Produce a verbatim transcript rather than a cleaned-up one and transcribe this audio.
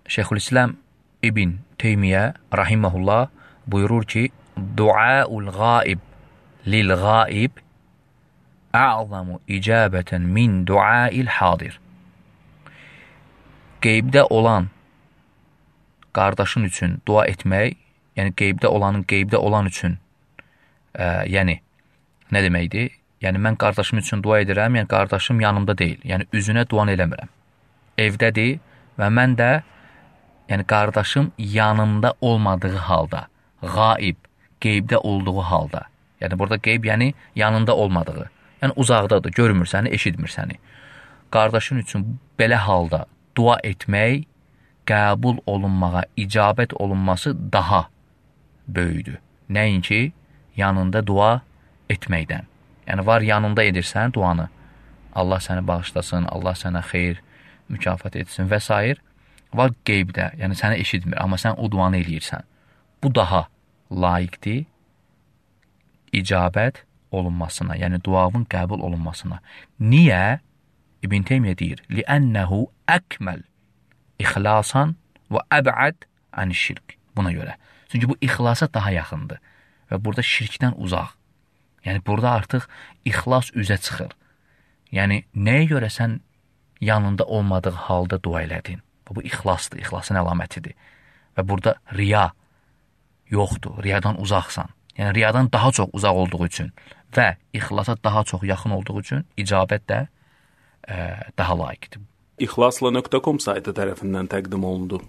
Şeyxülislam İbn Teymiyyə rahimehullah buyurur ki, duaul ghaib lil ghaib a'zamu icabeten min duail hadir. Qeybdə olan qardaşın üçün dua etmək, yəni qeybdə olanın qeybdə olan üçün, ə, yəni nə deməkdir? Yəni mən qardaşım üçün dua edirəm, yəni qardaşım yanımda deyil, yəni üzünə dua eləmirəm. Evdədir və mən də yəni qardaşım yanımda olmadığı halda, ghaib, qeybdə olduğu halda. Yəni burada qeyb yəni yanında olmadığı. Yəni uzaqdadır, görmür səni, eşitmir səni. Qardaşın üçün belə halda dua etmək qəbul olunmağa, icabət olunması daha böyüdür. Nəinki yanında dua etməkdən. Yəni var yanında edirsən duanı. Allah səni bağışlasın, Allah sənə xeyir, mükafat etsin və s. Var qeybdə, yəni səni eşitmir, amma sən o duanı eləyirsən. Bu daha layiqdir icabət olunmasına, yəni duavın qəbul olunmasına. Niyə? İbn Teymiyyə deyir, لِأَنَّهُ أَكْمَلْ İxlasan və əb'ad ən-şirk. Buna görə. Çünki bu ixlasa daha yaxındır və burada şirkdən uzaq. Yəni burada artıq ixlas üzə çıxır. Yəni nəyə görə sən yanında olmadığı halda dua elədin? Bu ixlasdır, ixlasın əlamətidir. Və burada riya yoxdur, riyadan uzaqsan. Yəni riyadan daha çox uzaq olduğu üçün və ixlasa daha çox yaxın olduğu üçün icabət də ə, daha layiqdir. İxlasla nöqtə com saytı tərəfindən təqdim olundu.